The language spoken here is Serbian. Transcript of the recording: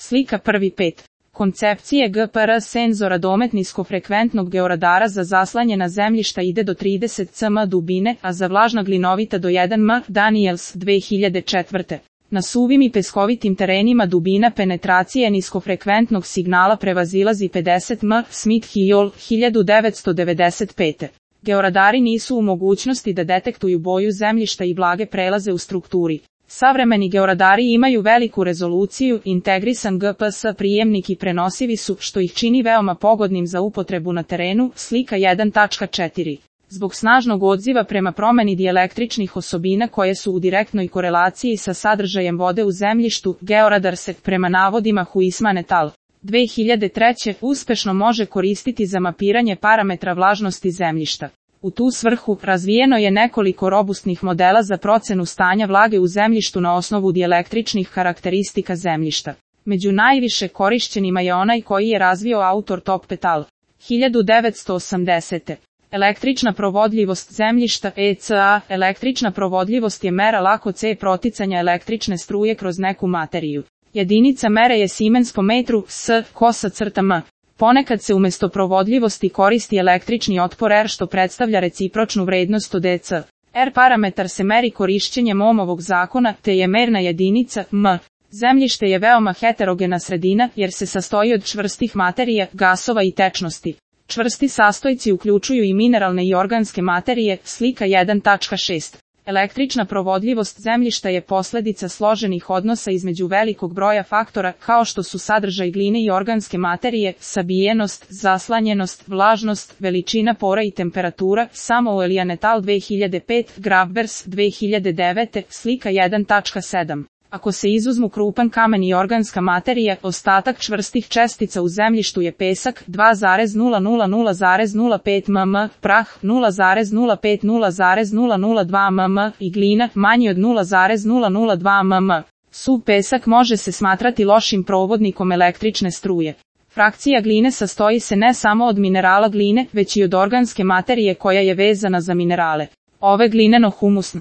Slika 1.5. Koncepcije GPR senzora domet niskofrekventnog georadara za zaslanjena zemljišta ide do 30 cm dubine, a za vlažna glinovita do 1 m. Daniels 2004. Na suvim i peskovitim terenima dubina penetracije niskofrekventnog signala prevazilazi 50 m. Smith-Hiyol 1995. Georadari nisu u mogućnosti da detektuju boju zemljišta i blage prelaze u strukturi. Savremeni georadari imaju veliku rezoluciju, integrisan GPS prijemnik i prenosivi su, što ih čini veoma pogodnim za upotrebu na terenu. Slika 1.4. Zbog snažnog odziva prema promeni dijelektričnih osobina koje su u direktnoj korelaciji sa sadržajem vode u zemljištu, georadar se, prema navodima Huisman et al. 2003. uspešno može koristiti za mapiranje parametra vlažnosti zemljišta. U tu svrhu, razvijeno je nekoliko robustnih modela za procenu stanja vlage u zemljištu na osnovu dijelektričnih karakteristika zemljišta. Među najviše korišćenima je onaj koji je razvio autor Top et al. 1980. Električna provodljivost zemljišta ECA. Električna provodljivost je mera lakoće proticanja električne struje kroz neku materiju. Jedinica mere je Siemens po metru, s,m. Ponekad se umjesto provodljivosti koristi električni otpor R, što predstavlja recipročnu vrednost od dc. R parametar se meri korišćenjem Ohmovog zakona, te je merna jedinica m. Zemljište je veoma heterogena sredina, jer se sastoji od čvrstih materija, gasova i tečnosti. Čvrsti sastojci uključuju i mineralne i organske materije. Slika 1.6. Električna provodljivost zemljišta je posljedica složenih odnosa između velikog broja faktora, kao što su sadržaj gline i organske materije, sabijenost, zaslanjenost, vlažnost, veličina pora i temperatura. Samuel et al. 2005, Grabbers 2009, slika 1.7. Ako se izuzmu krupan kamen i organska materija, ostatak čvrstih čestica u zemljištu je pesak 2,000,05 mm, prah 0,05,002 mm i glina manji od 0,002 mm. Suv pesak može se smatrati lošim provodnikom električne struje. Frakcija gline sastoji se ne samo od minerala gline, već i od organske materije koja je vezana za minerale. Ove glineno-humusne